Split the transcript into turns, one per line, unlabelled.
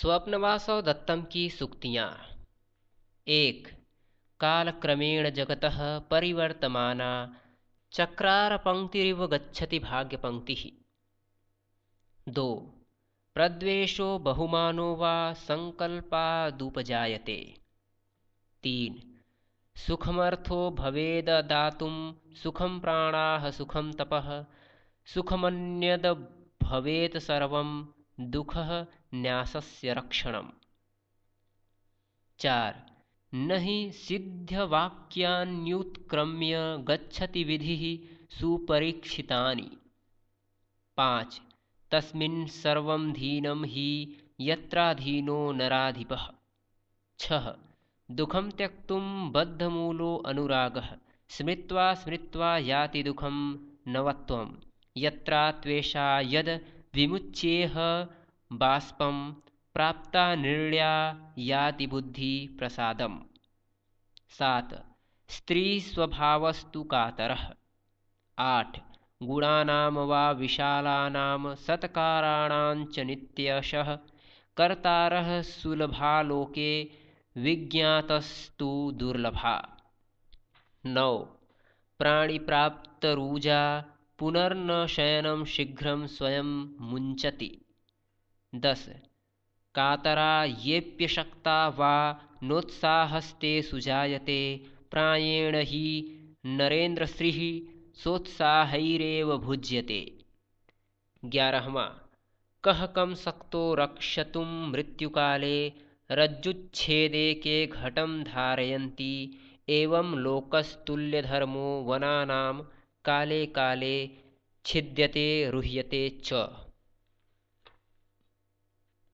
स्वप्नवासव दत्तम की सूक्तियाँ। एक, कालक्रमेण जगतः परिवर्तमाना चक्रारपङ्क्तिरिव गच्छति भाग्यपङ्क्तिः। दो, प्रद्वेषो बहुमानो वा संकल्पादुपजायते। तीन, सुखमर्थो भवेद दातुं सुखं प्राणाः सुखं तपः सुखमन्यद भवेत् सर्वं दुःखः न्यासस्य रक्षणम्। चार, न हि सिद्धवाक्यान्युत्क्रम्य गच्छति विधिः सुपरीक्षितानि। पाँच, तस्मिन् सर्वं धीनं हि यत्राधीनो नराधिपः। छः, दुःखं त्यक्तुं बद्धमूलो अनुरागः स्मृत्वा स्मृत्वा याति दुःखं नवत्वं यत्रा त्वेषा यद् विमुच्येह बाष्पं प्राप्ता निर्ल्या याति बुद्धि प्रसादम्। सात, स्त्रीस्वभावस्तु कातरः। आठ, गुणानां वा विशालानां सत्काराणां च नित्यशः कर्तारः सुलभालोके विज्ञातस्तु दुर्लभा। नौ, प्राणिप्राप्तरुजा पुनर्न शयनं शीघ्रं स्वयं मुञ्चति। 10, कातरा येऽप्यशक्ता वा नोत्साहस्ते सुजायते प्रायेण हि नरेन्द्रश्रीः सोत्साहैरेव भुज्यते। 11वां, कः कं शक्तो रक्षतुं मृत्युकाले रज्जुच्छेदेके घटं धारयन्ति एवं लोकस्तुल्यधर्मो वनानां काले काले छिद्यते रुह्यते च।